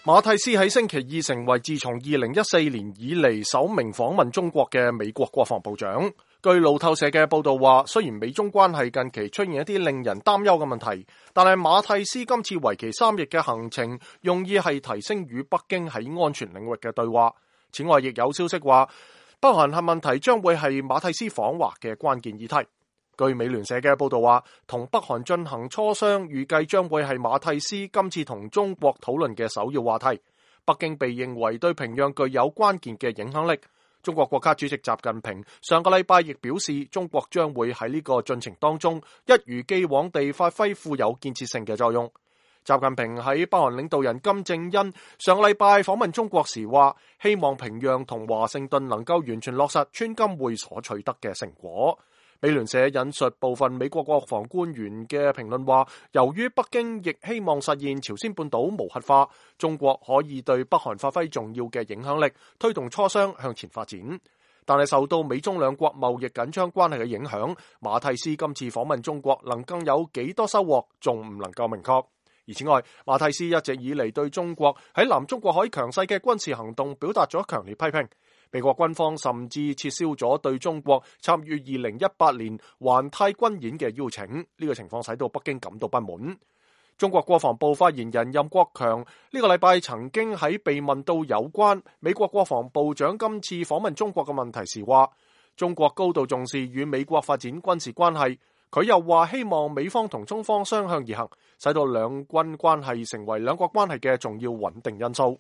馬蒂斯喺星期二成為自從2014年以嚟首名訪問中國嘅美國國防部長。據路透社嘅報道話，雖然美中關係近期出現一啲令人擔憂嘅問題，但係馬蒂斯今次為期3日嘅行程，用意係提升與北京喺安全領域嘅對話。此外，亦有消息話，北韓核問題將會係馬蒂斯訪華嘅關鍵議題。據美聯社嘅報道話，同北韓進行磋商，預計將會係馬蒂斯今次同中國討論嘅首要話題。北京被認為對平壤具有關鍵嘅影響力。中國國家主席習近平上個禮拜亦表示，中國將會喺呢個進程當中一如既往地發揮富有建設性嘅作用。習近平喺北韓領導人金正恩上個禮拜訪問中國時話，希望平壤同華盛頓能夠完全落實川金會所取得嘅成果。美聯社引述部分美國國防官員嘅評論話，由於北京亦希望實現朝鮮半島無核化，中國可以對北韓發揮重要嘅影響力，推動磋商向前發展。但係受到美中兩國貿易緊張關係嘅影響，馬蒂斯今次訪問中國能夠有幾多收穫，仲唔能夠明確。而此外，馬蒂斯一直以嚟對中國喺南中國海強勢嘅軍事行動表達咗強烈批評。美國軍方甚至撤銷咗對中國參與2018年環太軍演嘅邀請，呢個情況使到北京感到不滿。中國國防部發言人任國強呢個禮拜曾經喺被問到有關美國國防部長今次訪問中國嘅問題時話，中國高度重視與美國發展軍事關係。佢又話希望美方同中方相向而行，使到兩軍關係成為兩國關係嘅重要穩定因素。